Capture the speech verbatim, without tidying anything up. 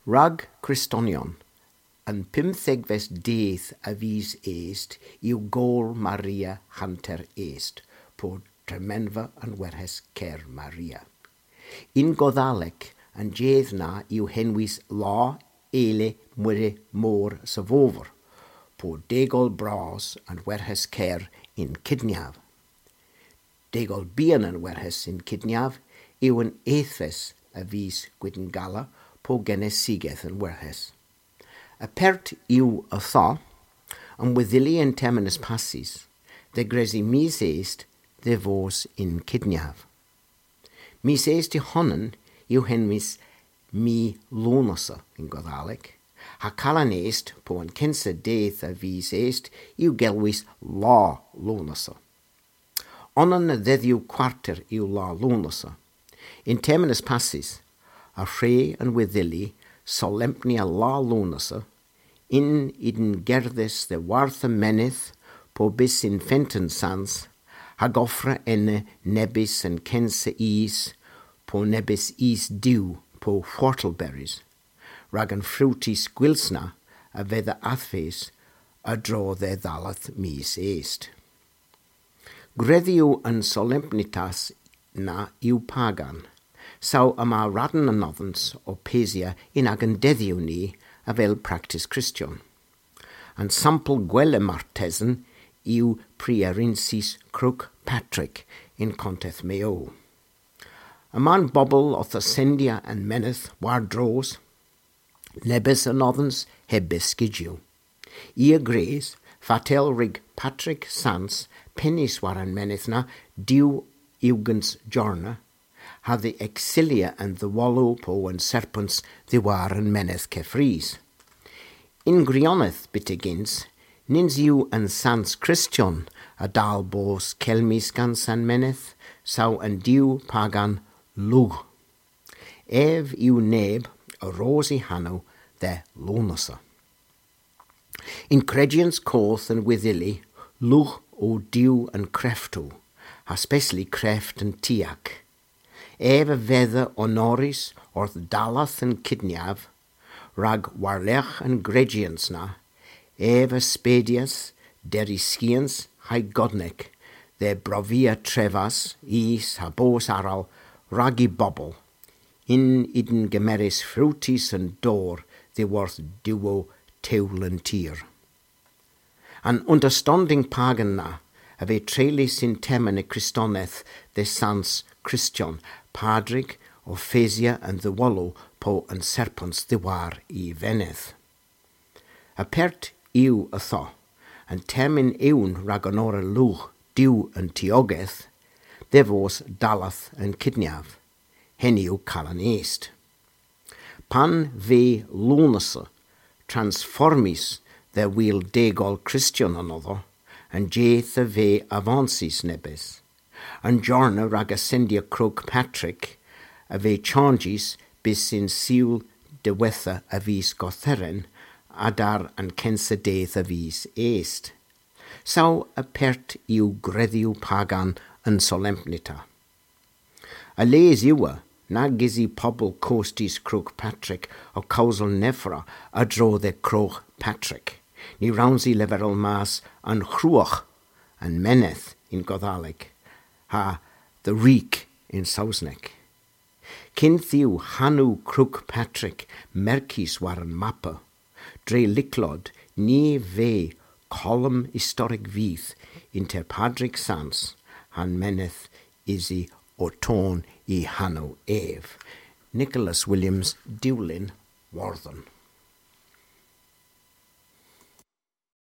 Rag Kristonion, an pymthegves dydh a vis Est yw Gool Maria hanter Est, po tremenva an werhes ker Maria. Yn Godhalek, an jydh na yw henwys La Ele Mwere Mor Savover, po degol bras an werhes ker yn kydnyav. Degol bian an werhes yn kydnyav yw an ethves a vis Gwydngala po genesigeth an werhes. Apert yw ytho, an wedhylli an termyn eus passys, dhe gresi mis Est dhe vos yn kydnyav. Mis Est y honan yw henwys mis Lownessa yn Godhalek, ha Kalan Est po an kynsa dydh a vis Est yw gelwys La Lownessa. Onan a dhedhyow kwarter yw La Lownessa. Yn termyn eus passys, y hwre an wedhylli solempnya La Lownessa, yn ydn gerdhes dhyworth an menydh po bys yn Fenten Sans, hag offra ena nebes an kynsa ys po nebes ys dew po whortleberries, rag an frutys gwyls na a vedha adhvys a-dro dhe dhalleth mis Est. Gredhyow an solempnitas na yw pagan, saw yma radn anodhans ow pesya yn agan dedhyow ni avel praktis Kristyon. An sampel gwella martesen yw prierinsys Krug Patrik yn konteth Meow. Yma'n bobel owth ascendya an menydh war dros, nebes anodhans heb beskijyow. I a grys, fatel rug Patrik Sans penys war an menydh na diw ugens jorna, ha dhe eksilya an dhewolow po an serpens dhiworth an menydh keffrys. Yn gwirionedh byttegyns, nyns yw an sans Kristyon a dal bos kelmys gans an menydh, saw an diw pagan Lugh. Ev yw neb a ros y hanow dhe Lownessa. Yn krejyans koth an wedhylli, Lugh o diw an kreftow, ha spesli kreft an tiak. Ev a vedha onorys orth dalleth an kydnyav, rag warlergh an grejyans na, ev a spedyas derivskyans ha'y godnek, dhe brovia trevas, ys ha bos aral, rag y bobel, yn ydn gemeres frutys an dor dhiworth diwow tewlel an tir. An understanding pagan na a veu treylys yn termyn y Kristoneth dhe sans Kristyon, Padrig ow pesya an dhewolow po an serpens dhiworth y venydh. Apert yw ytho, an termyn ewn rag onora Lugh diw an tiogeth, dhe vos dalleth an kydnyav, henn yw Kalan Est. Pan veu Lownessa transformys dhe wul degol Kristyon anodho, an jydh a veu avansys nebes. An jorna rag ascendya Krug Patrik a veu chanjys bys yn Sul diwettha a vis Gortheren, adar an kynsa dydh a vis Est. Saw apert yw gredhyow pagan an solempnita. A-les yw nag usi pobel kostys Krug Patrik ow kewsel nevra a-dro dhe Krug Patrik. Ny wrons i leverel mas an Krug, an menydh yn Godhalek, ha the Reek yn Sowsnek. Kynth yw hanow Krug Patrik merkys war an mappa, dre lyklod ny veu kolom istorek vyth ynter Padrig Sans ha'n menydh usi ow ton y hanow ev. Nicholas Williams, Dewlin, Wordhen.